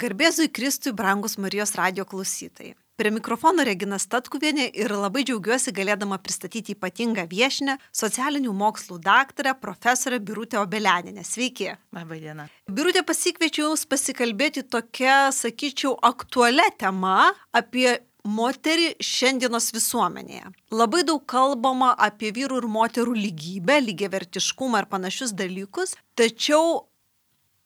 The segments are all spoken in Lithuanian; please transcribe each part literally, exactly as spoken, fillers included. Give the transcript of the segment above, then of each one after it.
Garbėzui Kristui, brangus Marijos radijo klausytojai. Prie mikrofono Regina Statkuvienė ir labai džiaugiuosi galėdama pristatyti ypatingą viešinę, socialinių mokslų daktarę, profesorę Birutę Obelianienę. Sveiki. Labą dieną. Birutė, pasikviečiau Jūs pasikalbėti tokia, sakyčiau, aktualia tema apie moterį šiandienos visuomenėje. Labai daug kalbama apie vyrų ir moterų lygybę, lygiavertiškumą ir panašius dalykus, tačiau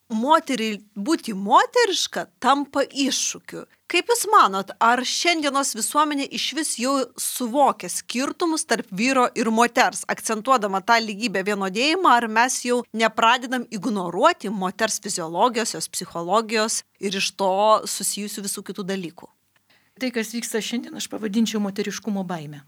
moteriai būti moteriška tampa iššūkiu. Kaip Jūs manot, ar šiandienos visuomenė iš vis jau suvokia skirtumus tarp vyro ir moters, akcentuodama tą lygybę vienodėjimą, ar mes jau nepradedam ignoruoti moters fiziologijos, jos psichologijos ir iš to susijusių visų kitų dalykų? Tai, kas vyksta šiandien, aš pavadinčiau moteriškumo baimę.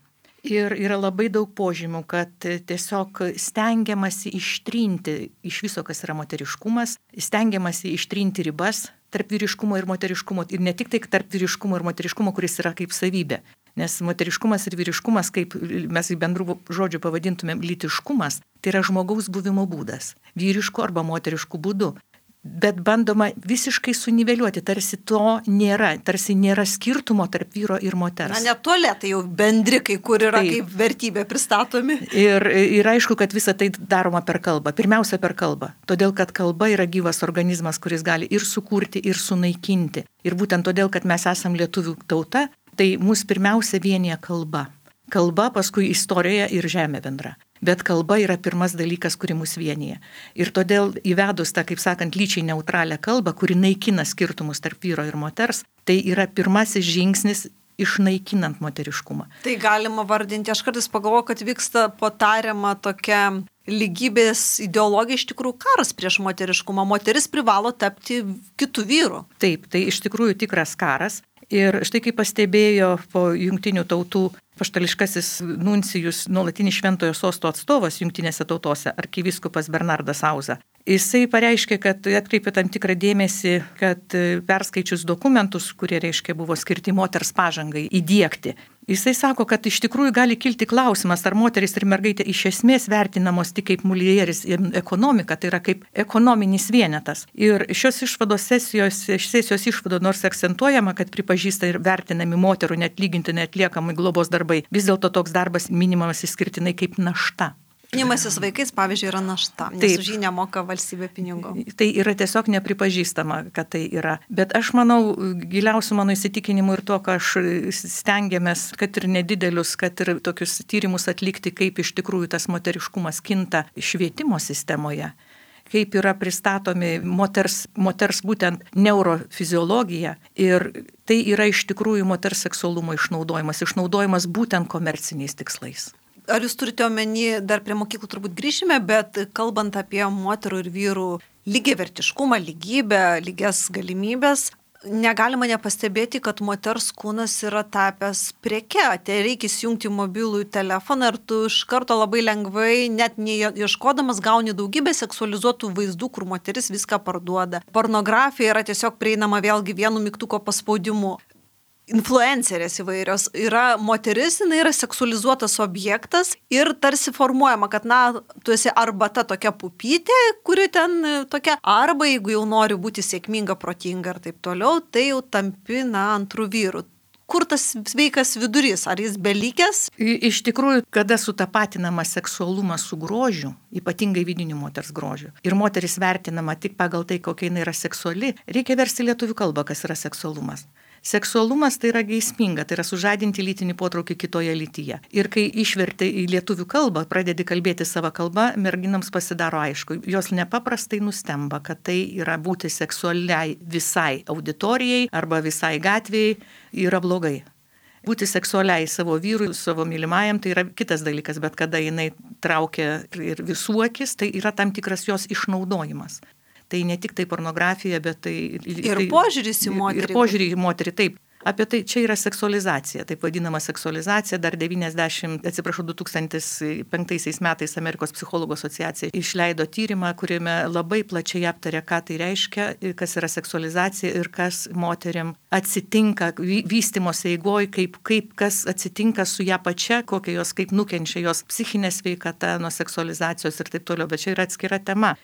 Ir yra labai daug požymių, kad tiesiog stengiamasi ištrinti iš viso, kas yra moteriškumas, stengiamasi ištrinti ribas tarp vyriškumo ir moteriškumo. Ir ne tik tai tarp vyriškumo ir moteriškumo, kuris yra kaip savybė. Nes moteriškumas ir vyriškumas, kaip mes į bendrų žodžių pavadintumėm lytiškumas, tai yra žmogaus buvimo būdas. Vyrišku arba moterišku būdu. Bet bandoma visiškai suniveliuoti, tarsi to nėra, tarsi nėra skirtumo tarp vyro ir moters. Na, net tualetai jau bendri, kai kur yra Taip. kaip vertybė pristatomi. Ir, ir aišku, kad visa tai daroma per kalbą. Pirmiausia, per kalbą. Todėl, kad kalba yra gyvas organizmas, kuris gali ir sukurti, ir sunaikinti. Ir būtent todėl, kad mes esam lietuvių tauta, tai mus pirmiausia vienija kalba. Kalba, paskui istorija ir žemė bendra. Bet kalba yra pirmas dalykas, kuri mus vienyje. Ir todėl įvedus tą, kaip sakant, lyčiai neutralią kalbą, kuri naikina skirtumus tarp vyro ir moters, tai yra pirmasis žingsnis išnaikinant moteriškumą. Tai galima vardinti, aš kartais pagalvoju, kad vyksta potariama tokia lygybės ideologija, iš tikrųjų karas prieš moteriškumą. Moteris privalo tapti kitų vyrų. Taip, tai iš tikrųjų tikras karas. Ir štai kaip pastebėjo po jungtinių tautų apaštališkasis nuncijus, nuolatinis šventojo sosto atstovas jungtinėse tautose, arkivyskupas Bernardas Auza. Jisai pareiškė, kad atkreipė tam tikrą dėmesį, kad perskaičius dokumentus, kurie reiškia buvo skirti moters pažangai įdiegti, jisai sako, kad iš tikrųjų gali kilti klausimas, ar moteris ir mergaitė iš esmės vertinamos tik kaip mulieris ekonomika, tai yra kaip ekonominis vienetas. Ir šios išvados sesijos, sesijos išvado nors akcentuojama, kad pripažįsta ir vertinami moterų neatlygintinai atliekamai globos darbai, vis dėlto toks darbas minimamas išskirtinai kaip našta. Rūpinimasis vaikais, pavyzdžiui, yra našta, nes Taip. už jį nemoka valstybė pinigų. Tai yra tiesiog nepripažįstama, kad tai yra. Bet aš manau, giliausių mano įsitikinimų ir to, ką aš stengiamės, kad ir nedidelius, kad ir tokius tyrimus atlikti, kaip iš tikrųjų tas moteriškumas kinta švietimo sistemoje, kaip yra pristatomi moters, moters būtent neurofiziologija. Ir tai yra iš tikrųjų moters seksualumo išnaudojimas, išnaudojimas būtent komerciniais tikslais. Ar Jūs turite omeny, dar prie mokyklų turbūt grįšime, bet kalbant apie moterų ir vyrų lygiavertiškumą, lygybę, lygias galimybės, negalima nepastebėti, kad moters kūnas yra tapęs preke. Tai reikia įsijungti mobilųjį telefoną ir tu iš karto labai lengvai, net neieškodamas, gauni daugybę seksualizuotų vaizdų, kur moteris viską parduoda. Pornografija yra tiesiog prieinama vėlgi vienu mygtuko paspaudimu. Influencerės įvairios yra moteris, jinai yra seksualizuotas objektas ir tarsi formuojama, kad na, tu esi arba ta tokia pupytė, kuri ten tokia, arba jeigu jau nori būti sėkminga, protinga ir taip toliau, tai jau tampi, na, antrų vyrų. Kur tas sveikas vidurys? Ar jis belikęs? Iš tikrųjų, kada sutapatinama seksualumas su grožiu, ypatingai vidiniu moters grožiu, ir moteris vertinama tik pagal tai, kokia jinai yra seksuali, reikia versti lietuvių kalbą, kas yra seksualumas. Seksualumas tai yra geisminga, tai yra sužadinti lytinį potraukį kitoje lytyje. Ir kai išverti į lietuvių kalbą, pradedi kalbėti savo kalbą, merginams pasidaro aišku. Jos nepaprastai nustemba, kad tai yra būti seksualiai visai auditorijai arba visai gatvėjai yra blogai. Būti seksualiai savo vyrui, savo mylimajam, tai yra kitas dalykas, bet kada jinai traukia ir visų akis, tai yra tam tikras jos išnaudojimas. Tai ne tik tai pornografija, bet tai... Ir požiūris į moterį. Ir požiūrį į moterį, taip. Apie tai čia yra seksualizacija, taip vadinama seksualizacija. Dar devyniasdešimt, atsiprašau, du tūkstantis penktaisiais metais Amerikos psichologų asociacija išleido tyrimą, kuriame labai plačiai aptarė, ką tai reiškia, kas yra seksualizacija ir kas moteriam atsitinka vystymosi eigoj, kaip, kaip kas atsitinka su ją pačia, kokia jos, kaip nukenčia jos psichinė sveikata nuo seksualizacijos ir taip toliau, bet čia yra atskira tema.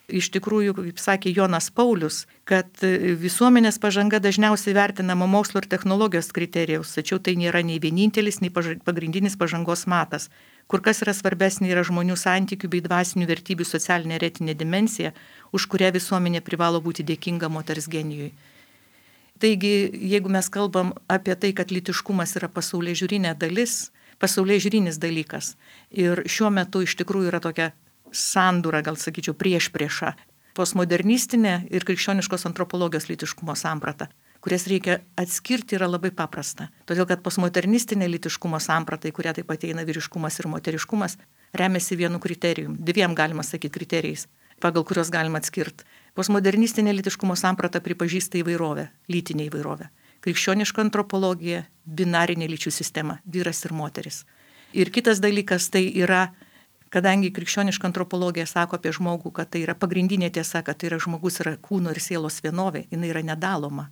iš tikrųjų, kaip sakė Jonas Paulius, kad visuomenės pažanga dažniausiai vertinama mokslo ir technologijos kriterijaus, tačiau tai nėra nei vienintelis, nei pagrindinis pažangos matas. Kur kas yra svarbesnė yra žmonių santykių bei dvasinių vertybių socialinė ir etinė dimensija, už kurią visuomenė privalo būti dėkinga moters genijui. Taigi, jeigu mes kalbam apie tai, kad lytiškumas yra pasaulyje žiūrinė dalis, pasaulyje žiūrinis dalykas, ir šiuo metu iš tikrųjų yra tokia sandūra, gal sakyčiau, prieš priešą, postmodernistinė ir krikščioniškos antropologijos lytiškumo samprata, kurias reikia atskirti, yra labai paprasta. Todėl, kad postmodernistinė lytiškumo samprata, į kurią taip ateina vyriškumas ir moteriškumas, remiasi vienu kriterijum, dviem galima sakyti kriterijais, pagal kurios galima atskirti. Postmodernistinė lytiškumo samprata pripažįsta įvairovę, lytinę įvairovę. Krikščioniška antropologija, binarinė lyčių sistema, vyras ir moteris. Ir kitas dalykas tai yra, kadangi krikščioniška antropologija sako apie žmogų, kad tai yra pagrindinė tiesa, kad tai yra žmogus yra kūno ir sielos vienovė, jinai yra nedaloma.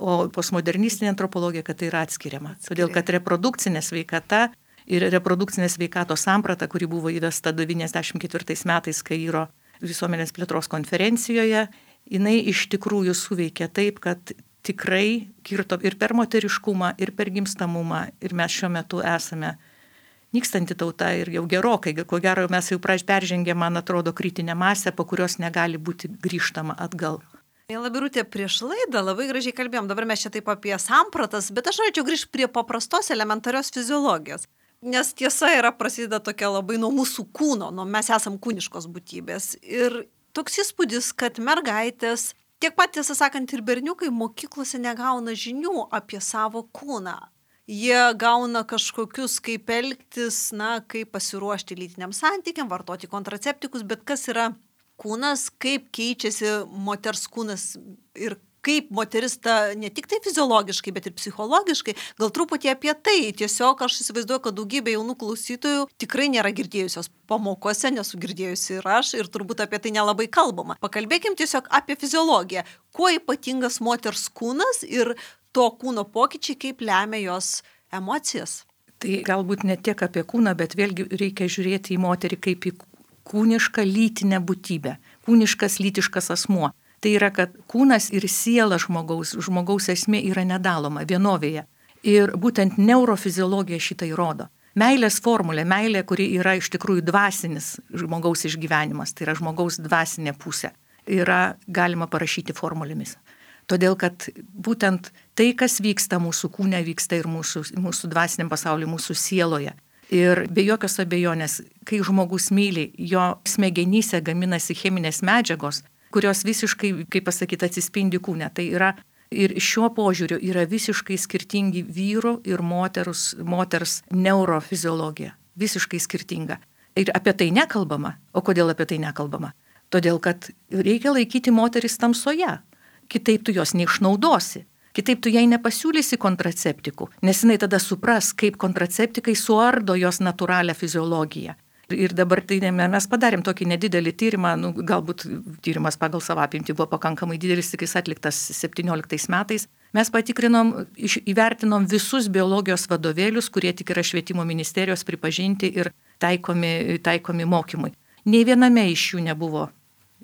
O postmodernistinė antropologija, kad tai yra atskiriama. Todėl, kad reprodukcinė sveikata ir reprodukcinė sveikatos samprata, kuri buvo įvesta devyniasdešimt ketvirtais metais Kairo visuomenės plėtros konferencijoje, jinai iš tikrųjų suveikia taip, kad tikrai kirto ir per moteriškumą, ir per gimstamumą, ir mes šiuo metu esame nykstanti tauta ir jau gerokai, ko gero mes jau peržengėme, man atrodo, kritinę masę, po kurios negali būti grįžtama atgal. Mėla Birutė, prieš laidą labai gražiai kalbėjom, dabar mes čia taip apie sampratas, bet aš norėčiau grįžti prie paprastos elementarios fiziologijos. Nes tiesa yra prasideda tokia labai nuo mūsų kūno, nuo mes esam kūniškos būtybės. Ir toks įspūdis, kad mergaitės, tiek pat tiesą sakant ir berniukai mokyklose negauna žinių apie savo kūną. Jie gauna kažkokius, kaip elgtis, na, kaip pasiruošti lytiniam santykiam, vartoti kontraceptikus, bet kas yra kūnas, kaip keičiasi moters kūnas ir kaip moteris ta ne tik tai fiziologiškai, bet ir psichologiškai. Gal truputį apie tai. Tiesiog aš įsivaizduoju, kad daugybė jaunų klausytojų tikrai nėra girdėjusios pamokose, nesu girdėjusi ir aš, ir turbūt apie tai nelabai kalbama. Pakalbėkim tiesiog apie fiziologiją. Kuo ypatingas moters kūnas ir to kūno pokyčiai, kaip lemia jos emocijas? Tai galbūt ne tiek apie kūną, bet vėlgi reikia žiūrėti į moterį kaip į kūnišką lytinę būtybę, kūniškas lytiškas asmuo. Tai yra, kad kūnas ir siela žmogaus, žmogaus esmė yra nedaloma vienovėje. Ir būtent neurofiziologija šitą įrodo. Meilės formulė, meilė, kuri yra iš tikrųjų dvasinis žmogaus išgyvenimas, tai yra žmogaus dvasinė pusė, yra galima parašyti formulėmis. Todėl, kad būtent tai, kas vyksta mūsų kūne, vyksta ir mūsų, mūsų dvasiniam pasauliu, mūsų sieloje. Ir be jokios abejonės, kai žmogus myli, jo smegenyse gaminasi cheminės medžiagos, kurios visiškai, kaip pasakyti, atsispindi kūne. Tai yra ir šiuo požiūriu yra visiškai skirtingi vyrų ir moterus, moters neurofiziologija. Visiškai skirtinga. Ir apie tai nekalbama. O kodėl apie tai nekalbama? Todėl, kad reikia laikyti moteris tamsoje. Kitaip tu jos neišnaudosi. Kitaip tu jai nepasiūlysi kontraceptikų, nes jinai tada supras, kaip kontraceptikai suardo jos natūralią fiziologiją. Ir dabar tai mes padarėm tokį nedidelį tyrimą, nu, galbūt tyrimas pagal savo apimtį buvo pakankamai didelis, tik jis atliktas septynioliktais metais. Mes patikrinom, įvertinom visus biologijos vadovėlius, kurie tik yra švietimo ministerijos pripažinti ir taikomi, taikomi mokymui. Nei viename iš jų nebuvo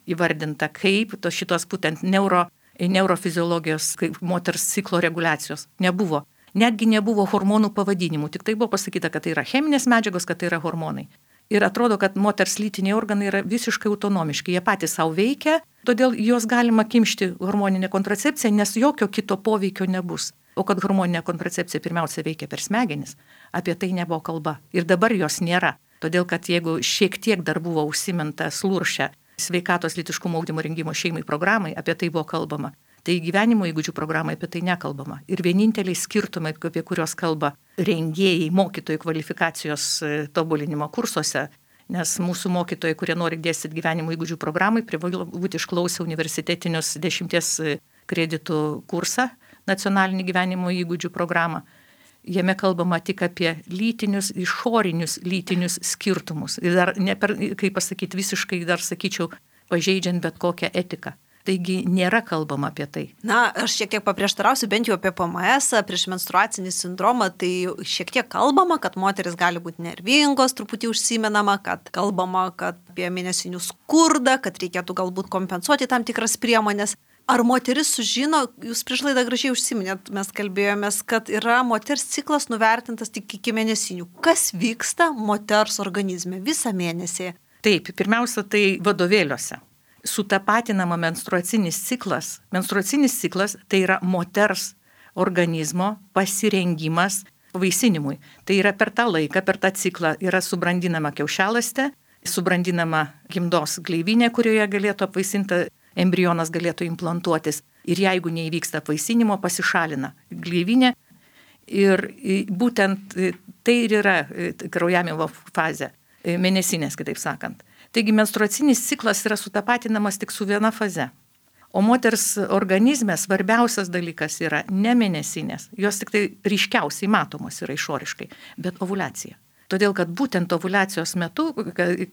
įvardinta, kaip to šitos būtent neuro, neurofiziologijos, kaip moters ciklo reguliacijos. Nebuvo. Netgi nebuvo hormonų pavadinimų, tik tai buvo pasakyta, kad tai yra cheminės medžiagos, kad tai yra hormonai. Ir atrodo, kad moters lytiniai organai yra visiškai autonomiški, jie patys savo veikia, todėl juos galima kimšti hormoninę kontracepciją, nes jokio kito poveikio nebus. O kad hormoninė kontracepcija pirmiausia veikia per smegenis, apie tai nebuvo kalba. Ir dabar jos nėra. Todėl, kad jeigu šiek tiek dar buvo užsiminta sluršę sveikatos lytiškumo ugdymo rengimo šeimai programai, apie tai buvo kalbama. Tai gyvenimo įgūdžių programai apie tai nekalbama. Ir vieninteliai skirtumai, apie kuriuos kalba rengėjai mokytojų kvalifikacijos tobulinimo kursuose, nes mūsų mokytojai, kurie nori dėstyti gyvenimo įgūdžių programai, privalo būti išklausę universitetinius dešimties kreditų kursą, nacionalinį gyvenimo įgūdžių programą. Jame kalbama tik apie lytinius, išorinius lytinius skirtumus. Ir dar, ne per, kaip pasakyti, visiškai dar sakyčiau, pažeidžiant bet kokią etiką. Taigi nėra kalbama apie tai. Na, aš šiek tiek paprieštarausiu, bent jau apie P M S, prieš menstruacinį sindromą, tai šiek tiek kalbama, kad moteris gali būti nervingos, truputį užsimenama, kad kalbama, kad apie mėnesinių skurdą, kad reikėtų galbūt kompensuoti tam tikras priemonės. Ar moteris sužino, jūs prieš laidą gražiai užsiminėt, mes kalbėjomės, kad yra moters ciklas nuvertintas tik iki mėnesinių. Kas vyksta moters organizme visą mėnesį? Taip, pirmiausia, tai vadovėliuose. Sutapatinama menstruacinis ciklas. Menstruacinis ciklas tai yra moters organizmo pasirengimas vaisinimui. Tai yra per tą laiką, per tą ciklą yra subrandinama kiaušialąstė, subrandinama gimdos gleivinė, kurioje galėtų apvaisinta embrionas galėtų implantuotis. Ir jeigu neįvyksta apvaisinimo, pasišalina gleivinė. Ir būtent tai ir yra kraujavimo fazė, mėnesinės, kitaip sakant. Taigi menstruacinis ciklas yra sutapatinamas tik su viena faze. O moters organizme svarbiausias dalykas yra ne mėnesinės, jos tik tai ryškiausiai matomos yra išoriškai, bet ovuliacija. Todėl, kad būtent ovulacijos metu,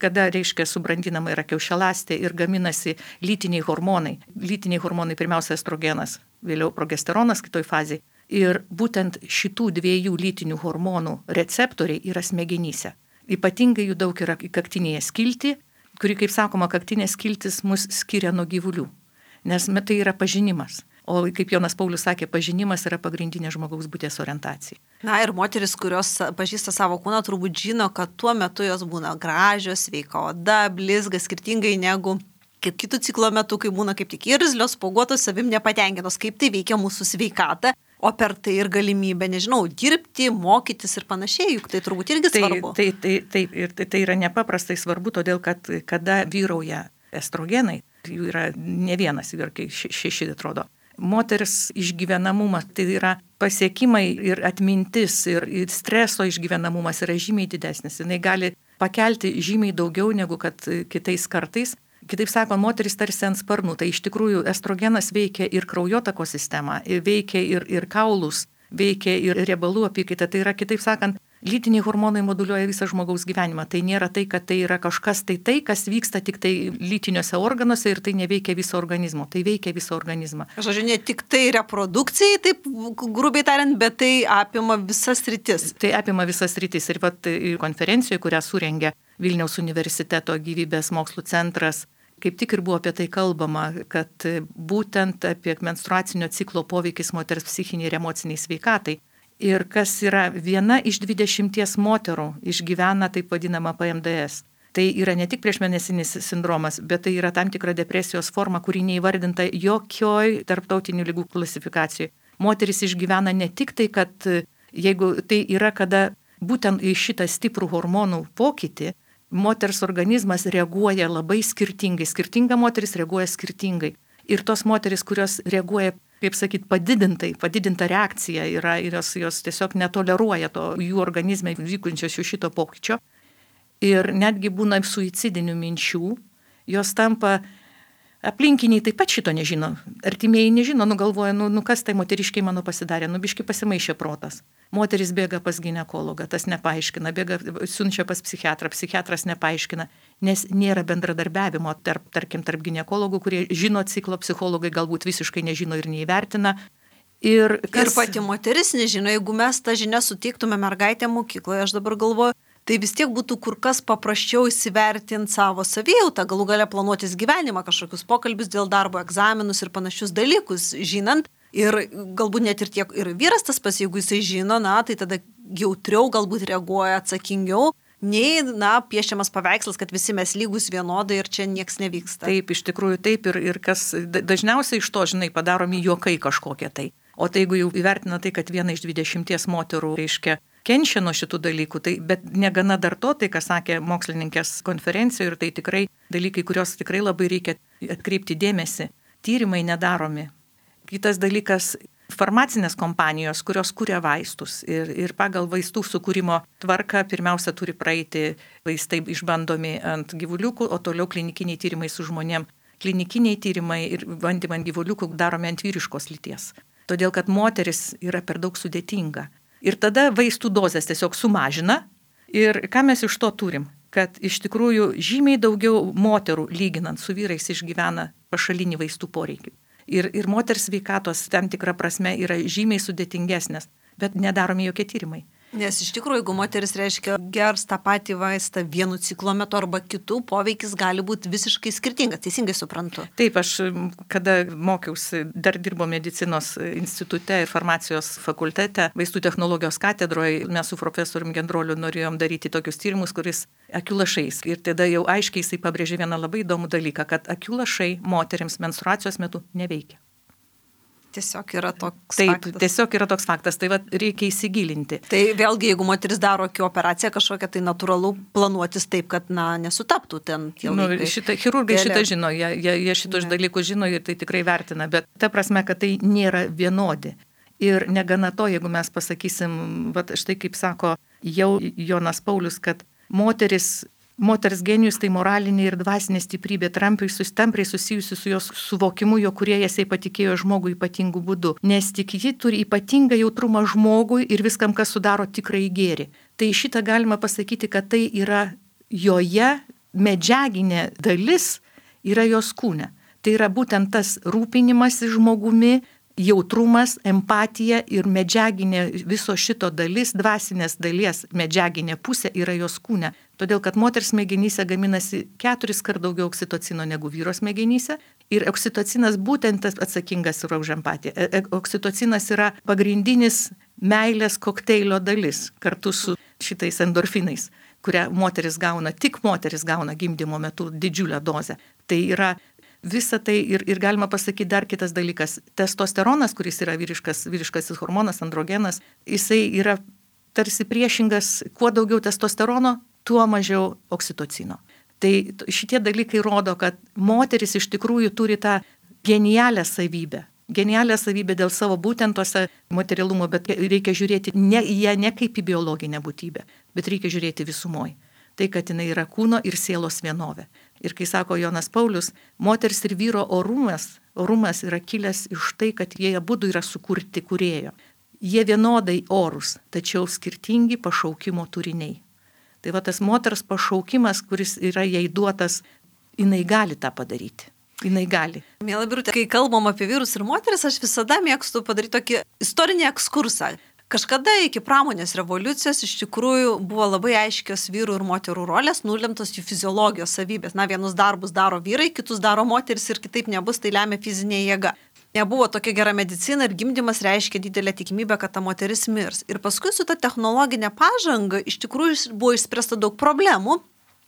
kada, reiškia, subrandinama yra kiaušialąstė ir gaminasi lytiniai hormonai, lytiniai hormonai pirmiausia estrogenas, vėliau progesteronas kitoj fazėje, ir būtent šitų dviejų lytinių hormonų receptoriai yra smegenyse. Ypatingai jų daug yra kaktinėje skilti, kuri, kaip sakoma, kaktinė skiltis mus skiria nuo gyvulių, nes tai yra pažinimas. O kaip Jonas Paulius sakė, pažinimas yra pagrindinė žmogaus būties orientacija. Na ir moteris, kurios pažįsta savo kūną, turbūt žino, kad tuo metu jos būna gražios, sveika oda, blizga, skirtingai negu kaip kitų ciklo metu, kai būna kaip tik irzlios, spuoguotos, savim nepatenkintos, kaip tai veikia mūsų sveikatą, o per tai ir galimybę, nežinau, dirbti, mokytis ir panašiai, juk tai turbūt irgi tai, svarbu. Tai, tai, tai, ir tai, tai yra nepaprastai svarbu, todėl kad kada vyrauja estrogenai, jų yra ne vienas, ir šeši atrodo. Moters išgyvenamumas, tai yra pasiekimai ir atmintis ir, ir streso išgyvenamumas yra žymiai didesnis. Jis gali pakelti žymiai daugiau negu kad kitais kartais. Kitaip sakant, moteris tarsi ant sparnų, tai iš tikrųjų estrogenas veikia ir kraujotakos sistemą, veikia ir, ir kaulus, veikia ir riebalų apykaitą. Tai yra, kitaip sakant, lytiniai hormonai moduliuoja visą žmogaus gyvenimą. Tai nėra tai, kad tai yra kažkas tai tai, kas vyksta tik tai lytiniuose organuose ir tai neveikia viso organizmo. Tai veikia visą organizmą. Žodžiu, ne tik tai reprodukcijai, taip grubiai tariant, bet tai apima visas rytis. Tai apima visas rytis. Ir vat konferencijoje, kurią surengė Vilniaus universiteto gyvybės mokslų centras, kaip tik ir buvo apie tai kalbama, kad būtent apie menstruacinio ciklo poveikis moters psichiniai ir emociniai sveikatai. Ir kas yra viena iš dvidešimties moterų išgyvena taip vadinamą P M D S. Tai yra ne tik priešmėnesinis sindromas, bet tai yra tam tikra depresijos forma, kuri neįvardinta jokioj tarptautinių ligų klasifikacijai. Moteris išgyvena ne tik tai, kad jeigu tai yra, kada būtent į šitą stiprų hormonų pokytį, moters organizmas reaguoja labai skirtingai. Skirtinga moteris reaguoja skirtingai. Ir tos moteris, kurios reaguoja, kaip sakyt, padidintai, padidinta reakcija yra ir jos, jos tiesiog netoleruoja to jų organizme vykunčios jų šito pokyčio. Ir netgi būna suicidinių minčių, jos tampa, aplinkiniai taip pat šito nežino, artimieji nežino, nugalvoja, nu, nu kas tai moteriškiai mano pasidarė, nu biški pasimaišė protas. Moteris bėga pas ginekologą, tas nepaaiškina, bėga, siunčia pas psichiatrą, psichiatras nepaaiškina, nes nėra bendradarbiavimo tarp, tarkim, tarp ginekologų, kurie žino ciklo, psichologai galbūt visiškai nežino ir neįvertina. Ir, kas... ir pati moteris nežino, jeigu mes tą žinią suteiktume mergaitę mokykloje, aš dabar galvoju, tai vis tiek būtų kur kas paprasčiau įsivertinti savo savijautą, galų galia planuotis gyvenimą, kažkokius pokalbius dėl darbo, egzaminus ir panašius dalykus, žinant. Ir galbūt net ir tiek ir vyras tas pas, jeigu jisai žino, na, tai tada jautriau galbūt reaguoja, atsakingiau, nei, na, piešiamas paveikslas, kad visi mes lygus vienodai ir čia nieks nevyksta. Taip, iš tikrųjų taip ir, ir kas dažniausiai iš to, žinai, padaromi juokai kažkokie tai. O tai jeigu jau įvertina tai, kad viena iš dvidešimties moterų, reiškia, kenčia nuo šitų dalykų, tai, bet negana dar to, tai, ką sakė mokslininkės konferencijoje, ir tai tikrai dalykai, kuriuos tikrai labai reikia atkreipti dėmesį. Tyrimai nedaromi. Kitas dalykas, farmacinės kompanijos, kurios kuria vaistus ir, ir pagal vaistų sukūrimo tvarką pirmiausia turi praeiti vaistai išbandomi ant gyvuliukų, o toliau klinikiniai tyrimai su žmonėm. Klinikiniai tyrimai ir bandymai ant gyvuliukų daromi ant vyriškos lyties. Todėl, kad moteris yra per daug sudėtinga. Ir tada vaistų dozės tiesiog sumažina. Ir ką mes iš to turim? Kad iš tikrųjų žymiai daugiau moterų lyginant su vyrais išgyvena pašalinį vaistų poreikį. Ir, ir moters sveikatos tam tikra prasme yra žymiai sudėtingesnės, bet nedaromi jokie tyrimai. Nes iš tikrųjų, jeigu moteris reiškia gers tą patį vaistą vienu ciklo metu arba kitų, poveikis gali būti visiškai skirtingas, teisingai suprantu. Taip, aš kada mokiausi, dar dirbo medicinos institute ir farmacijos fakultete, vaistų technologijos katedroje, mes su profesoriumi Gendroliu norėjom daryti tokius tyrimus, kuris akių lašais. Ir tada jau aiškiai jisai pabrėžė vieną labai įdomų dalyką, kad akių lašai moteriams menstruacijos metu neveikia. Tiesiog yra toks Taip, faktas. tiesiog yra toks faktas, tai va, reikia įsigilinti. Tai vėlgi, jeigu moteris daro akių operaciją kažkokią, tai natūralu planuotis taip, kad na, nesutaptų ten tie laikai. Nu, šita, chirurgai Vėliau. šitą žino, jie, jie, jie šitos dalykus žino ir tai tikrai vertina, bet ta prasme, kad tai nėra vienodi. Ir negana to, jeigu mes pasakysim, va, štai kaip sako jau Jonas Paulius, kad moteris Moters genijus tai moralinė ir dvasinė stiprybė, trampiai sustampriai susijusi su jos suvokimu, jo kūrėjas jai patikėjo žmogui ypatingų būdų, nes tik ji turi ypatingą jautrumą žmogui ir viskam, kas sudaro tikrąjį gėrį. Tai šitą galima pasakyti, kad tai yra joje medžiaginė dalis, yra jos kūne. Tai yra būtent tas rūpinimas žmogumi, jautrumas, empatija ir medžiaginė viso šito dalis, dvasinės dalies medžiaginė pusė yra jos kūne. Todėl, kad moters smegenyse gaminasi keturis kart daugiau oksitocino negu vyro smegenyse ir oksitocinas būtent atsakingas yra už empatiją. Oksitocinas yra pagrindinis meilės kokteilio dalis kartu su šitais endorfinais, kurią moteris gauna, tik moteris gauna gimdymo metu didžiulę dozę. Tai yra visa tai ir, ir galima pasakyti dar kitas dalykas. Testosteronas, kuris yra vyriškas, vyriškasis hormonas, androgenas, jisai yra tarsi priešingas, kuo daugiau testosterono, tuo mažiau oksitocino. Tai šitie dalykai rodo, kad moteris iš tikrųjų turi tą genialią savybę. Genialią savybę dėl savo būtent tose materialumo, bet reikia žiūrėti ne į ją ne kaip į biologinę būtybę, bet reikia žiūrėti visumoj. Tai, kad jinai yra kūno ir sielos vienovė. Ir kai sako Jonas Paulius, moters ir vyro orumas, orumas yra kilęs iš tai, kad jie abudu yra sukurti kūrėjo. Jie vienodai orus, tačiau skirtingi pašaukimo turiniai. Tai va tas moters pašaukimas, kuris yra jai duotas, jinai gali tą padaryti. Jinai gali. Miela Birutė, kai kalbam apie vyrus ir moteris, aš visada mėgstu padaryti tokį istorinį ekskursą. Kažkada iki pramonės revoliucijos iš tikrųjų buvo labai aiškios vyrų ir moterų rolės, nulemtos jų fiziologijos savybės. Na, vienus darbus daro vyrai, kitus daro moteris ir kitaip nebus, tai lemia fizinė jėga. Nebuvo tokia gera medicina ir gimdymas reiškia didelę tikimybę, kad ta moteris mirs. Ir paskui su ta technologinė pažanga iš tikrųjų buvo išspręsta daug problemų.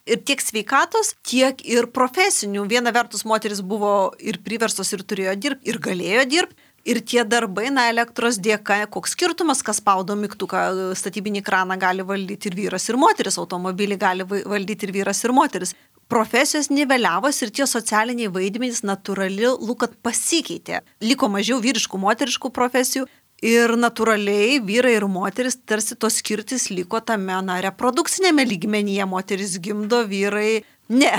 Ir tiek sveikatos, tiek ir profesinių. Viena vertus moteris buvo ir priverstos ir turėjo dirbti, ir galėjo dirbti. Ir tie darbai, na, elektros dėka, koks skirtumas, kas spaudo mygtuką, statybinį kraną gali valdyti ir vyras, ir moteris, automobilį gali valdyti ir vyras, ir moteris. Profesijos niveliavos ir tie socialiniai vaidmenys natūraliai, kad pasikeitė. Liko mažiau vyriškų, moteriškų profesijų ir natūraliai vyrai ir moteris tarsi tos skirtis liko tame, na, reprodukcinėme lygmenyje. Moteris gimdo, vyrai ne.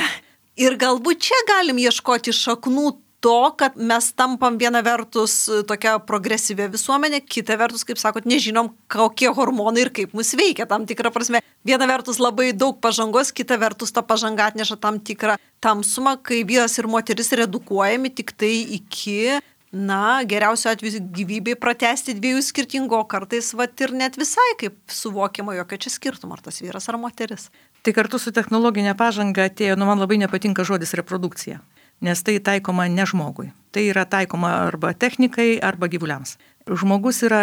Ir galbūt čia galim ieškoti šaknų to, kad mes tampam viena vertus tokia progresyvė visuomenė, kita vertus, kaip sakot, nežinom, kokie hormonai ir kaip mus veikia tam tikrą prasme. Viena vertus labai daug pažangos, kita vertus ta pažanga atneša tam tikrą tamsumą, kai vyras ir moteris redukuojami tik tai iki, na, geriausio atveju gyvybei pratęsti dviejų skirtingų, o kartais vat ir net visai kaip suvokiama, jokio čia skirtumo, ar tas vyras ar moteris. Tai kartu su technologinė pažanga atėjo, nu man labai nepatinka žodis reprodukcija. Nes tai taikoma ne žmogui. Tai yra taikoma arba technikai, arba gyvuliams. Žmogus yra,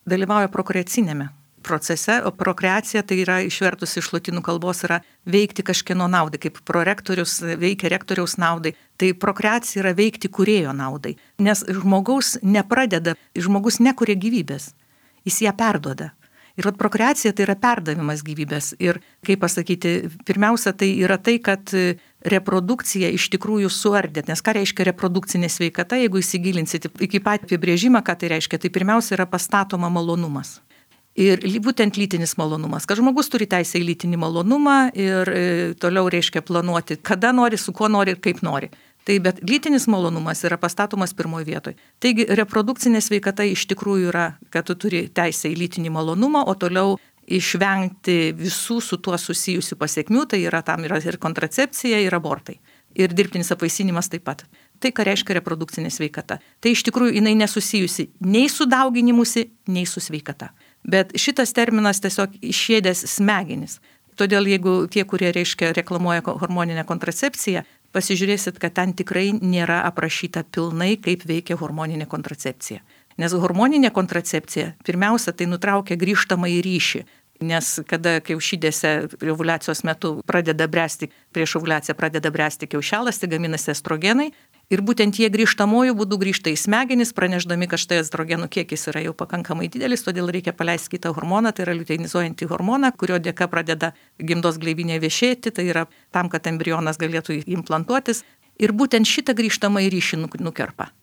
dalyvauja prokreacinėme procese, o prokreacija tai yra išvertus iš lotynų kalbos yra veikti kažkieno naudai, kaip prorektorius veikia rektoriaus naudai. Tai prokreacija yra veikti kūrėjo naudai. Nes žmogaus nepradeda, žmogus nekuria gyvybės, jis ją perduoda. Ir vat prokreacija tai yra perdavimas gyvybės. Ir, kaip pasakyti, pirmiausia tai yra tai, kad reprodukcija iš tikrųjų suardė. Nes ką reiškia reprodukcinė sveikata, jeigu įsigilinsite iki pat apibrėžimą, ką tai reiškia, tai pirmiausia yra pastatoma malonumas. Ir būtent lytinis malonumas, kad žmogus turi teisę į lytinį malonumą ir e, toliau reiškia planuoti, kada nori, su kuo nori ir kaip nori. Tai bet lytinis malonumas yra pastatomas pirmoje vietoje. Taigi reprodukcinė sveikata iš tikrųjų yra, kad tu turi teisę į lytinį malonumą, o toliau išvengti visų su tuo susijusių pasiekmių, tai yra tam yra ir kontracepcija, ir abortai. Ir dirbtinis apvaisinimas taip pat. Tai, ką reiškia reprodukcinė sveikata. Tai iš tikrųjų jinai nesusijusi nei su dauginimusi, nei su sveikata. Bet šitas terminas tiesiog išėdęs smegenis. Todėl jeigu tie, kurie reiškia reklamuoja hormoninę kontracepciją, pasižiūrėsit, kad ten tikrai nėra aprašyta pilnai, kaip veikia hormoninė kontracepcija. Nes hormoninė kontracepcija pirmiausia tai nutraukia grįžtamą į ryšį. Nes kada kiaušidėse ovuliacijos metu pradeda bręsti, prieš ovuliaciją pradeda bręsti kiaušialąstė, gaminasi estrogenai ir būtent jie grįžtamojų būdų grįžta į smegenis, pranešdami, kad štai estrogenų kiekis yra jau pakankamai didelis, todėl reikia paleisti kitą hormoną, tai yra liuteinizuojantį hormoną, kurio dėka pradeda gimdos gleivinė viešėti, tai yra tam, kad embrionas galėtų implantuotis ir būtent šitą grįžtamą į ryšį nukerpa.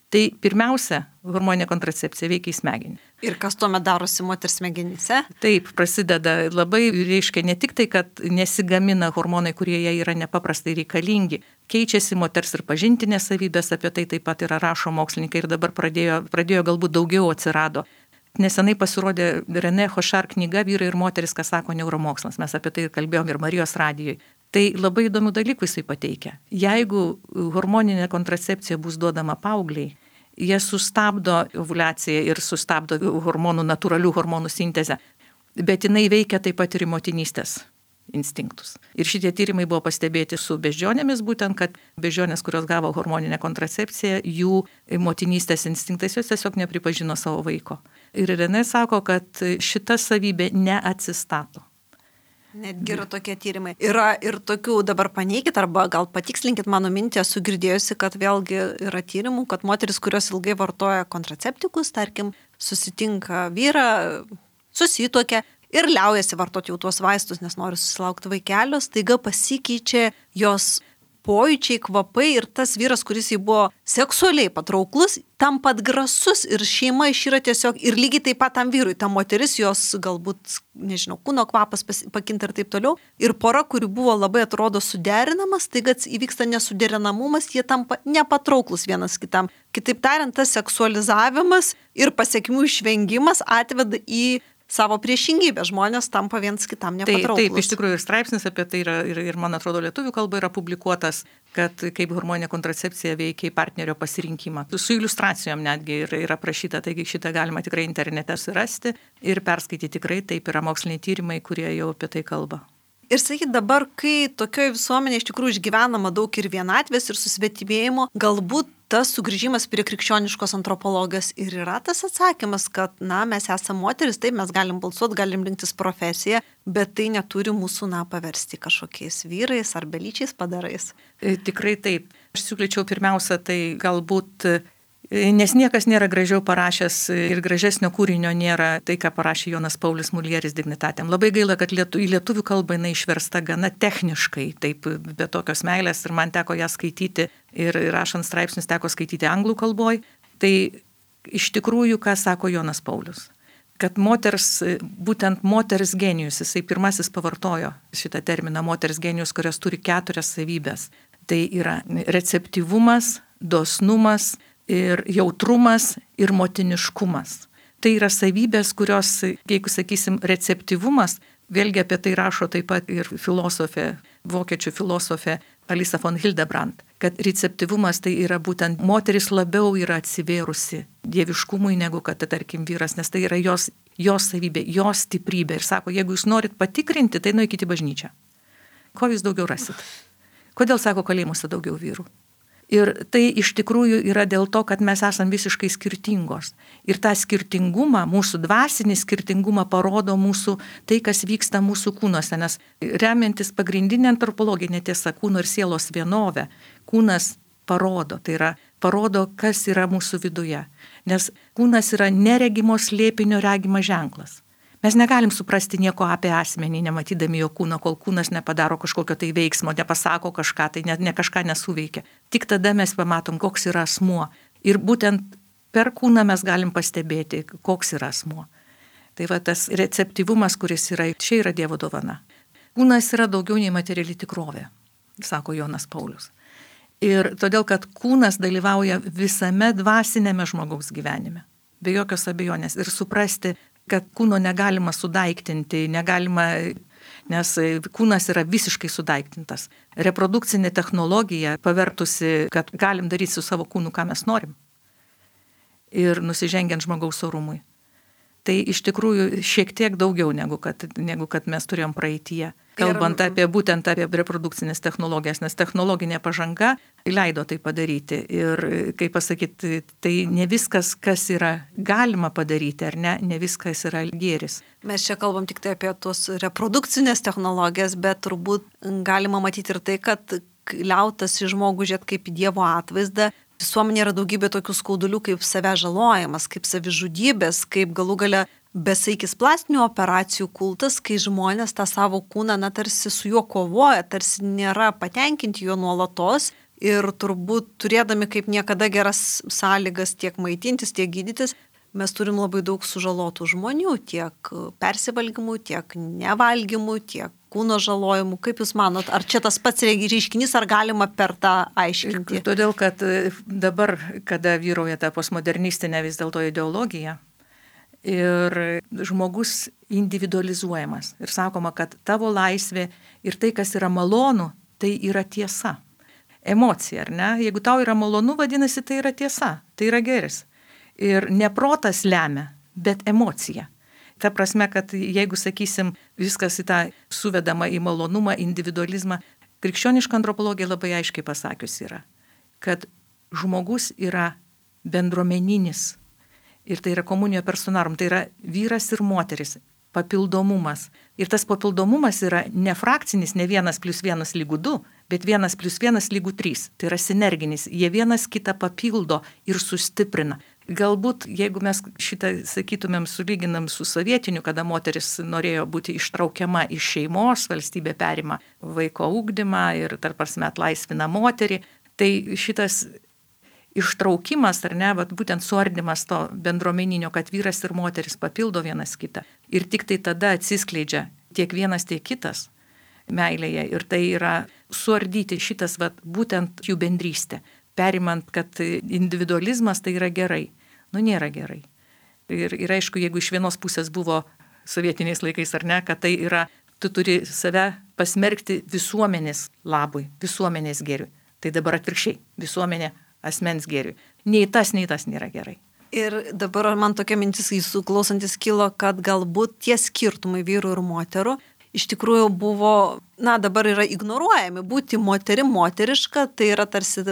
Tai pirmiausia, hormoninė kontracepcija veikia į smegenį. Ir kas tuomet darosi moters smegenyse? Taip, prasideda labai, reiškia ne tik tai, kad nesigamina hormonai, kurie jai yra nepaprastai reikalingi, keičiasi moters ir pažintinės savybės, apie tai taip pat yra rašo mokslininkai ir dabar pradėjo, pradėjo galbūt daugiau atsirado. Nesenai pasirodė René Hošar knyga Vyrai ir moteris, kas sako neuromokslas. Mes apie tai kalbėjom ir Marijos radijoje. Tai labai įdomių dalykų jisai pateikia. Jeigu hormoninė kontracepcija bus duodama paaugliai, jie sustabdo ovuliaciją ir sustabdo hormonų, natūralių hormonų sintezę, bet jinai veikia taip pat ir į motinystės instinktus. Ir šitie tyrimai buvo pastebėti su beždžionėmis, būtent, kad beždžionės, kurios gavo hormoninę kontracepciją, jų motinystės instinktais jos tiesiog nepripažino savo vaiko. Ir René sako, kad šita savybė neatsistato. Netgi yra tokie tyrimai. Yra ir tokių, dabar paneikit arba gal patikslinkit mano mintį, esu girdėjusi, kad vėlgi yra tyrimų, kad moteris, kurios ilgai vartoja kontraceptikus, tarkim, susitinka vyrą, susituokia ir liaujasi vartoti jau tuos vaistus, nes nori susilaukti vaikelio, staiga pasikeičia jos pojūčiai, kvapai ir tas vyras, kuris jį buvo seksualiai patrauklus, tampa atgrasus ir šeima išyra tiesiog ir lygiai taip pat tam vyrui, ta moteris, jos galbūt, nežinau, kūno kvapas pakinta ir taip toliau. Ir pora, kuri buvo labai atrodo suderinamas, staiga įvyksta nesuderinamumas, jie tampa nepatrauklus vienas kitam. Kitaip tariant, tas seksualizavimas ir pasiekmių išvengimas atveda į savo priešingybę, žmonės tampa viens kitam nepatrauklus. Taip, taip, iš tikrųjų ir straipsnis apie tai yra, ir, ir man atrodo, lietuvių kalba yra publikuotas, kad kaip hormoninė kontracepcija veikia į partnerio pasirinkimą. Su iliustracijom netgi yra, yra aprašyta, taigi šitą galima tikrai internete surasti ir perskaityti tikrai, taip yra moksliniai tyrimai, kurie jau apie tai kalba. Ir sakyt, dabar, kai tokioje visuomenėje iš tikrųjų išgyvenama daug ir vienatvės, ir susvetimėjimo, galbūt tas sugrįžimas prie krikščioniškos antropologijos ir yra tas atsakymas, kad, na, mes esame moteris, taip, mes galim balsuoti, galim rinktis profesiją, bet tai neturi mūsų, na, paversti kažkokiais vyrais ar belyčiais padarais. E, tikrai taip. Aš siūlyčiau pirmiausia, tai galbūt nes niekas nėra gražiau parašęs ir gražesnio kūrinio nėra tai, ką parašė Jonas Paulius Mulieris Dignitatem. Labai gaila, kad lietu, į lietuvių kalbą jinai išversta gana techniškai, taip be tokios meilės ir man teko ją skaityti ir rašant straipsnius teko skaityti anglų kalboj. Tai iš tikrųjų, ką sako Jonas Paulius, kad moters, būtent moters genijus, jisai pirmasis pavartojo šitą terminą moters genijus, kurios turi keturias savybės. Tai yra receptyvumas, dosnumas, ir jautrumas, ir motiniškumas. Tai yra savybės, kurios, jeigu sakysim, receptyvumas, vėlgi apie tai rašo taip pat ir filosofė, vokiečių filosofė Alisa von Hildebrand, kad receptyvumas tai yra būtent moteris labiau yra atsivėrusi dieviškumui negu kad, tarkim, vyras, nes tai yra jos, jos savybė, jos stiprybė. Ir sako, jeigu jūs norit patikrinti, tai nueikite į bažnyčią. Ko jūs daugiau rasit? Kodėl, sako, kalėjimuose daugiau vyrų? Ir tai iš tikrųjų yra dėl to, kad mes esame visiškai skirtingos. Ir tą skirtingumą, mūsų dvasinį skirtingumą parodo mūsų, tai, kas vyksta mūsų kūnuose. Nes remiantis pagrindinė antropologinė tiesa, kūno ir sielos vienovė, kūnas parodo, tai yra parodo, kas yra mūsų viduje. Nes kūnas yra neregimo slėpinio regimas ženklas. Mes negalim suprasti nieko apie asmenį, nematydami jo kūno, kol kūnas nepadaro kažkokio tai veiksmo, nepasako kažką, tai ne, ne kažką nesuveikia. Tik tada mes pamatom, koks yra asmuo. Ir būtent per kūną mes galim pastebėti, koks yra asmuo. Tai va tas receptyvumas, kuris yra, čia yra Dievo dovana. Kūnas yra daugiau nei materiali tikrovė, sako Jonas Paulius. Ir todėl, kad kūnas dalyvauja visame dvasinėme žmogaus gyvenime. Be jokios abejonės. Ir suprasti, kad kūno negalima sudaiktinti, negalima, nes kūnas yra visiškai sudaiktintas. Reprodukcinė technologija pavertusi, kad galim daryti su savo kūnu, ką mes norim. Ir nusižengiant žmogaus orumui. Tai iš tikrųjų šiek tiek daugiau negu kad, negu kad mes turėjom praeityje. Kalbant apie būtent apie reprodukcinės technologijas, nes technologinė pažanga leido tai padaryti. Ir, kaip pasakyti, tai ne viskas, kas yra galima padaryti, ar ne, ne viskas yra gėris. Mes čia kalbam tik tai apie tos reprodukcinės technologijas, bet turbūt galima matyti ir tai, kad liautas į žmogų žiūrėti kaip į Dievo atvaizdą. Visuomenė yra daugybė tokių skaudulių kaip savęs žalojimas, kaip savižudybės, kaip galų gale besaikis plastinių operacijų kultas, kai žmonės tą savo kūną, na, tarsi su juo kovoja, tarsi nėra patenkinti juo nuolatos ir turbūt turėdami kaip niekada geras sąlygas tiek maitintis, tiek gydytis, mes turim labai daug sužalotų žmonių, tiek persivalgymų, tiek nevalgymų, tiek kūno žalojimų. Kaip Jūs manot, ar čia tas pats reiškinys, ar galima per tą aiškinti? Todėl, kad dabar, kada vyrauja ta postmodernistinė vis dėlto ideologija ir žmogus individualizuojamas ir sakoma, kad tavo laisvė ir tai, kas yra malonu, tai yra tiesa. Emocija, ar ne? Jeigu tau yra malonu, vadinasi, tai yra tiesa, tai yra geris. Ir ne protas lemia, bet emocija. Ta prasme, kad jeigu, sakysim, viskas į tą suvedama į malonumą, individualizmą, krikščioniška antropologija labai aiškiai pasakius yra, kad žmogus yra bendruomeninis ir tai yra komunija personarum, tai yra vyras ir moteris, papildomumas. Ir tas papildomumas yra ne frakcinis, ne vienas plus vienas lygų du, bet vienas plus vienas lygų trys. Tai yra sinerginis, jie vienas kitą papildo ir sustiprina. Galbūt, jeigu mes šitą, sakytumėm, sulyginam su sovietiniu, kada moteris norėjo būti ištraukiama iš šeimos, valstybė perima vaiko ugdymą ir tarp prasme atlaisvina moterį, tai šitas ištraukimas, ar ne, bet būtent suardymas to bendruomeninio, kad vyras ir moteris papildo vienas kitą. Ir tik tai tada atsiskleidžia tiek vienas, tiek kitas meilėje. Ir tai yra suardyti šitas, vat, būtent jų bendrystė. Perimant, kad individualizmas tai yra gerai. Nu, nėra gerai. Ir, ir aišku, jeigu iš vienos pusės buvo sovietiniais laikais, ar ne, kad tai yra, tu turi save pasmerkti visuomenės labui, visuomenės gėriui. Tai dabar atvirkščiai, visuomenė asmens gėriui. Nei tas, nei tas nėra gerai. Ir dabar man tokia mintis jūsų klausantis kilo, kad galbūt tie skirtumai vyrų ir moterų iš tikrųjų buvo, na, dabar yra ignoruojami. Būti moterim moteriška, tai yra tarsi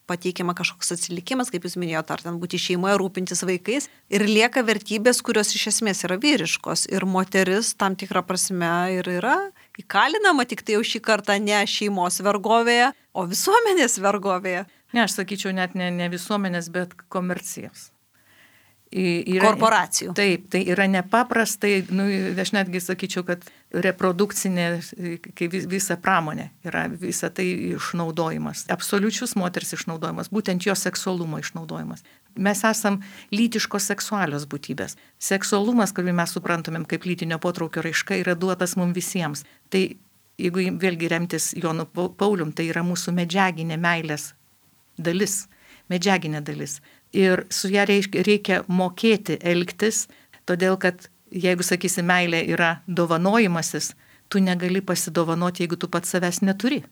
pateikiama kažkoks atsilikimas, kaip jūs minėjote, ar ten būti šeimoje, rūpintis vaikais. Ir lieka vertybės, kurios iš esmės yra vyriškos. Ir moteris tam tikrą prasme ir yra įkalinama, tik tai jau šį kartą ne šeimos vergovėje, o visuomenės vergovėje. Ne, aš sakyčiau, net ne, ne visuomenės, bet komercijos. Yra, korporacijų. Taip, tai yra nepaprastai, nu, aš netgi sakyčiau, kad reprodukcinė, kai visa pramonė yra visa tai išnaudojimas. Absoliučius moters išnaudojimas, būtent jo seksualumo išnaudojimas. Mes esam lytiškos seksualios būtybės. Seksualumas, kurį mes suprantumėm kaip lytinio potraukio raiška, yra duotas mums visiems. Tai jeigu vėlgi remtis Jonu Paulium, tai yra mūsų medžiaginė meilės dalis, medžiaginė dalis. Ir su ją reikia mokėti elgtis, todėl kad jeigu, sakysi, meilė yra dovanojimasis, tu negali pasidovanoti, jeigu tu pats savęs neturi.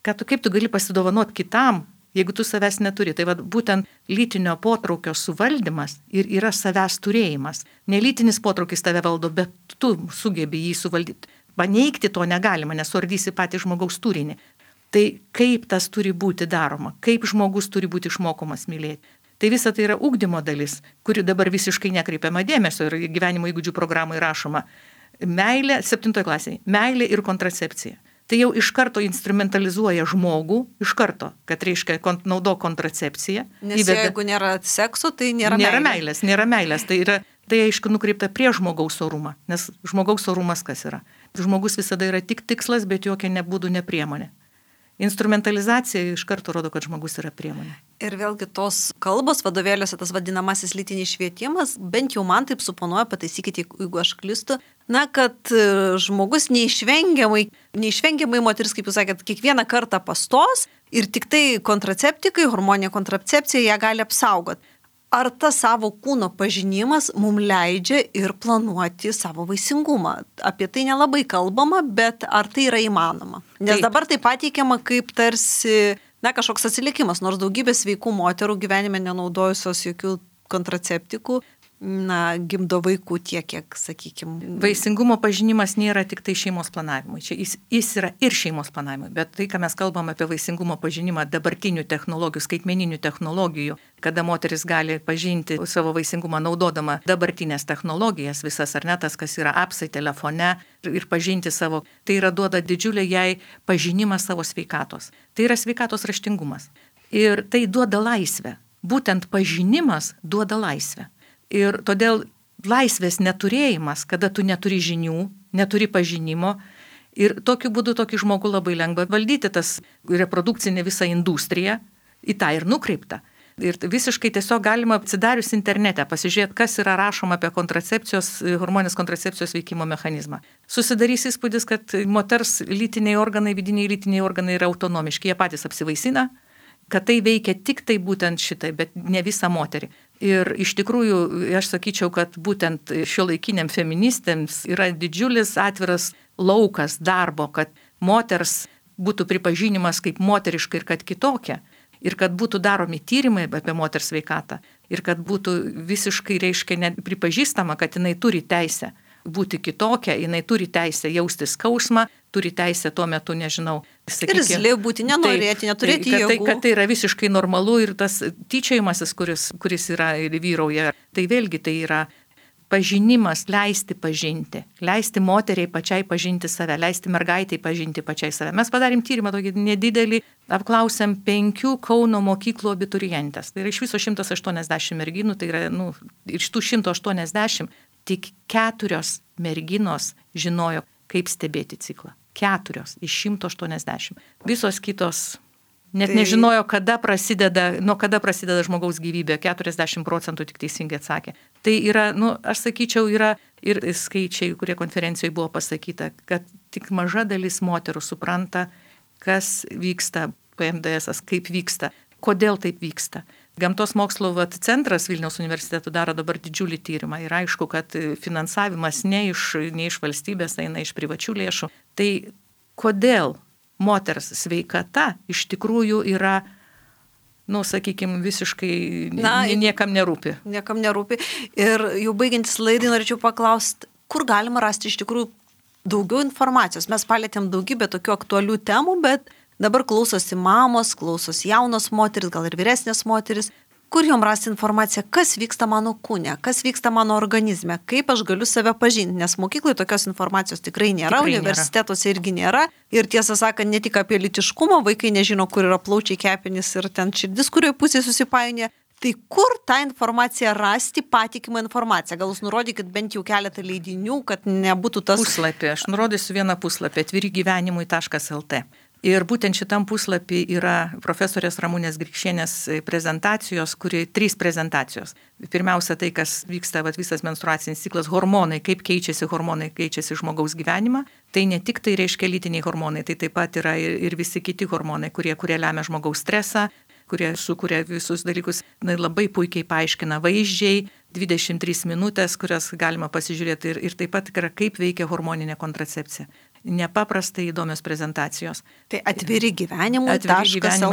Ką tu, kaip tu gali pasidovanoti kitam, jeigu tu savęs neturi? Tai va, būtent lytinio potraukio suvaldymas ir yra savęs turėjimas. Nelytinis potraukis tave valdo, bet tu sugebi jį suvaldyti. Paneigti to negalima, nes suardysi patį žmogaus turinį. Tai kaip tas turi būti daroma, kaip žmogus turi būti išmokomas mylėti. Tai visa tai yra ugdymo dalis, kuri dabar visiškai nekreipiama dėmesio ir gyvenimo įgūdžių programai rašoma. Meilė, septintoje klasėje, meilė ir kontracepcija. Tai jau iš karto instrumentalizuoja žmogų, iš karto, kad reiškia naudo kontracepciją. Nes įveda, jeigu nėra sekso, tai nėra, nėra meilės. meilės. Nėra meilės, tai yra, tai aišku nukreipta prie žmogaus orumą, nes žmogaus orumas kas yra? Žmogus visada yra tik tikslas, bet jokia nebūdų ne priemonė. Instrumentalizacija iš karto rodo, kad žmogus yra priemonė. Ir vėlgi tos kalbos vadovėliuose, tas vadinamasis lytinis švietimas, bent jau man taip suponuoja, pataisykite, jeigu aš klystu, na, kad žmogus neišvengiamai, neišvengiamai moteris, kaip jūs sakėt, kiekvieną kartą pastos ir tik tai kontraceptikai, hormoninė kontracepcija ją gali apsaugoti. ar tas savo kūno pažinimas mums leidžia ir planuoti savo vaisingumą? Apie tai nelabai kalbama, bet ar tai yra įmanoma? Nes Taip. Dabar tai pateikiama kaip tarsi, na, kažkoks atsilikimas, nors daugybė sveikų moterų gyvenime nenaudojusios jokių kontraceptikų, na, gimdo vaikų tiek, kiek, sakykime. Vaisingumo pažinimas nėra tik tai šeimos planavimui. Čia jis, jis yra ir šeimos planavimui, bet tai, ką mes kalbam apie vaisingumo pažinimą dabartinių technologijų, skaitmeninių technologijų, kada moteris gali pažinti savo vaisingumą naudodama dabartinės technologijas, visas ar ne tas, kas yra apsai telefone ir pažinti savo, tai yra duoda didžiulį jai pažinimą savo sveikatos. Tai yra sveikatos raštingumas. Ir tai duoda laisvę. Būtent pažinimas duoda laisvę. Ir todėl laisvės neturėjimas, kada tu neturi žinių, neturi pažinimo, ir tokiu būdu tokį žmogų labai lengva valdyti, tas reprodukcinė visa industrija į tą ir nukreipta. Ir visiškai tiesiog galima atsidarius internete pasižiūrėti, kas yra rašoma apie kontracepcijos, hormonės kontracepcijos veikimo mechanizmą. Susidarys įspūdis, kad moters lytiniai organai, vidiniai lytiniai organai yra autonomiški, jie patys apsivaisina, kad tai veikia tik tai būtent šitai, bet ne visą moterį. Ir iš tikrųjų, aš sakyčiau, kad būtent šiuolaikiniam feministėms yra didžiulis atviras laukas darbo, kad moters būtų pripažinimas kaip moteriška ir kad kitokia. Ir kad būtų daromi tyrimai apie moters sveikatą. Ir kad būtų visiškai, reiškia, pripažįstama, kad jinai turi teisę būti kitokia, jinai turi teisę jausti skausmą, turi teisę tuo metu, nežinau, sakykime. Ir zli būti, nenorėti, neturėti tai, jėgų. Tai, kad tai yra visiškai normalu ir tas tyčiojimasis, kuris, kuris yra ir vyrauja, tai vėlgi tai yra pažinimas, leisti pažinti, leisti moteriai pačiai pažinti save, leisti mergaitai pažinti pačiai save. Mes padarėm tyrimą tokį nedidelį, apklausėm penkių Kauno mokyklų abiturientės. Tai yra iš viso šimtas aštuoniasdešimt merginų, tai yra, nu, iš tų šimtas aštuoniasdešimt tik keturios merginos žinojo, kaip stebėti ciklą. Keturios iš šimto aštuoniasdešimt. Visos kitos net tai... nežinojo, kada prasideda, nuo kada prasideda žmogaus gyvybė. keturiasdešimt procentų tik teisingai atsakė. Tai yra, nu, aš sakyčiau, yra ir skaičiai, kurie konferencijoje buvo pasakyta, kad tik maža dalis moterų supranta, kas vyksta P M D S, kaip vyksta, kodėl taip vyksta. Gamtos mokslo vat, centras Vilniaus universiteto daro dabar didžiulį tyrimą ir aišku, kad finansavimas ne iš, ne iš valstybės, eina iš privačių lėšų. Tai kodėl moters sveikata iš tikrųjų yra, nu, sakykime, visiškai Na, niekam nerūpi. Niekam nerūpi. Ir jau baigiantis laidai norėčiau paklausti, kur galima rasti iš tikrųjų daugiau informacijos. Mes palėtėm daugybę tokių aktualių temų, bet dabar klausosi mamos, klausosi jaunos moteris, gal ir vyresnės moteris. Kur jom rasti informaciją, kas vyksta mano kūne, kas vyksta mano organizme, kaip aš galiu save pažinti, nes mokykloje tokios informacijos tikrai nėra, tikrai universitetuose nėra. Irgi nėra. Ir tiesą sakant, ne tik apie lytiškumą, vaikai nežino, kur yra plaučiai, kepenys ir ten širdis, kurioje pusėje susipainioja. Tai kur tą informaciją rasti, patikimą informaciją? Gal jūs nurodykit bent jau keletą leidinių, kad nebūtų tas... Puslapį, aš nurodysiu vieną puslapį, atviri gyvenimui taškas el te. Ir būtent šitam puslapį yra profesorės Ramunės Grikšienės prezentacijos, kuri trys prezentacijos. Pirmiausia, tai, kas vyksta vat, visas menstruacinis ciklas, hormonai, kaip keičiasi hormonai, keičiasi žmogaus gyvenimą. Tai ne tik tai reiškia lytiniai hormonai, tai taip pat yra ir, ir visi kiti hormonai, kurie, kurie lemia žmogaus stresą, kurie sukuria visus dalykus, na, labai puikiai paaiškina vaizdžiai, dvidešimt trys minutės, kurias galima pasižiūrėti ir, ir taip pat yra, kaip veikia hormoninė kontracepcija. Nepaprastai įdomios prezentacijos. Tai atviri gyvenimui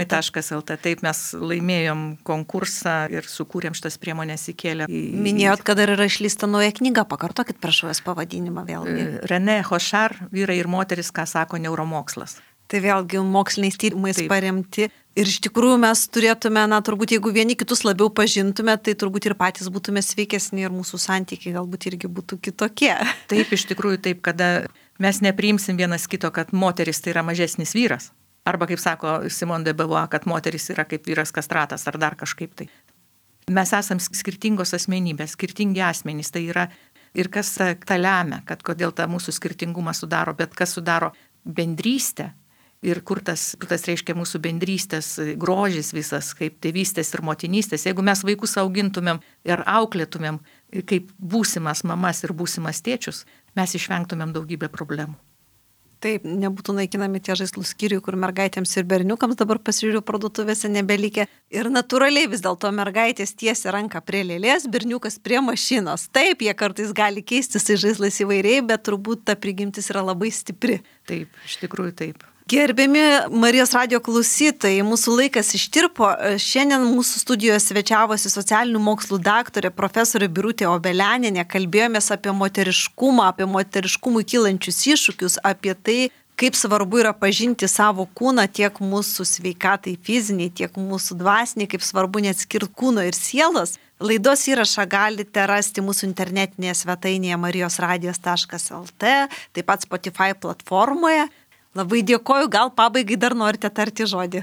taškas el te. Taip mes laimėjom konkursą ir sukūrėm šitas priemonės įkėlę. Minėjot, kad dar yra išleista nauja knyga, pakartokit prašau jos pavadinimą vėlgi. René Hochar, Vyrai ir moteris, ką sako neuromokslas. Tai vėlgi moksliniais tyrimais Taip. Paremti. Ir iš tikrųjų mes turėtume, na, turbūt jeigu vieni kitus labiau pažintume, tai turbūt ir patys būtume sveikesni ir mūsų santykiai galbūt irgi būtų kitokie. Taip, iš tikrųjų taip, kada mes nepriimsim vienas kito, kad moteris tai yra mažesnis vyras. Arba, kaip sako Simone de Beauvoir, kad moteris yra kaip vyras kastratas ar dar kažkaip tai. Mes esam skirtingos asmenybės, skirtingi asmenys. Tai yra ir kas tą lemia, kad kodėl tą mūsų skirtingumą sudaro, bet kas sudaro bendrystę. Ir kur tas, tas reiškia mūsų bendrystės grožis visas, kaip tėvystės ir motinystės. Jeigu mes vaikus augintumėm ir auklėtumėm kaip būsimas mamas ir būsimas tėčius, mes išvengtumėm daugybę problemų. Taip, nebūtų naikinami tie žaislų skyriui, kur mergaitėms ir berniukams dabar pasižiūriu parduotuvėse nebelikę. Ir natūraliai vis dėlto mergaitės tiesia ranką prie lėlės, berniukas prie mašinos. Taip, jie kartais gali keistis į žaislais įvairiai, bet turbūt ta prigimtis yra labai stipri. Taip, iš tikrųjų taip. Gerbiami Marijos radijo klausytojai, mūsų laikas ištirpo. Šiandien mūsų studijoje svečiavosi socialinių mokslų daktarė profesorė Birutė Obelianinė. Kalbėjomės apie moteriškumą, apie moteriškumui kylančius iššūkius, apie tai, kaip svarbu yra pažinti savo kūną tiek mūsų sveikatai fiziniai, tiek mūsų dvasiniai, kaip svarbu neatskirti kūno ir sielos. Laidos įrašą galite rasti mūsų internetinėje svetainėje marijos radijas taškas el tė, taip pat Spotify platformoje. Labai dėkoju, gal pabaigai dar norite tarti žodį.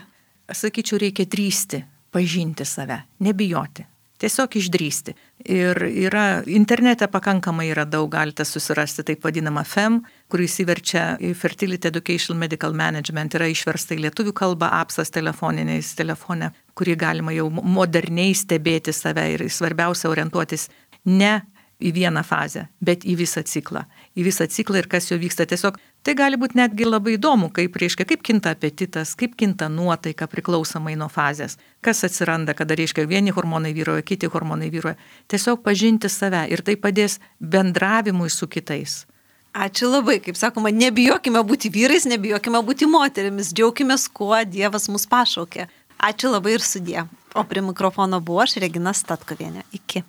Sakyčiau, reikia drįsti, pažinti save, nebijoti, tiesiog išdrįsti. Ir yra, internete pakankamai yra daug, galite susirasti taip vadinamą F E M, kurį įsiverčia į Fertility Education Medical Management, yra išversta į lietuvių kalbą, apsas telefoniniais telefone, kurį galima jau moderniai stebėti save ir svarbiausia orientuotis ne į vieną fazę, bet į visą ciklą. Į visą ciklą ir kas jo vyksta. Tiesiog tai gali būti netgi labai įdomu, kaip, reiškia, kaip kinta apetitas, kaip kinta nuotaika priklausomai nuo fazės. Kas atsiranda, kada, reiškia, vieni hormonai vyruoja, kiti hormonai vyruoja. Tiesiog pažinti save ir tai padės bendravimui su kitais. Ačiū labai, kaip sakoma, nebijokime būti vyrais, nebijokime būti moterimis, džiaukimės, kuo Dievas mus pašaukė. Ačiū labai ir sudie. O prie mikrofono buvo aš, Regina Statkovienė. Iki.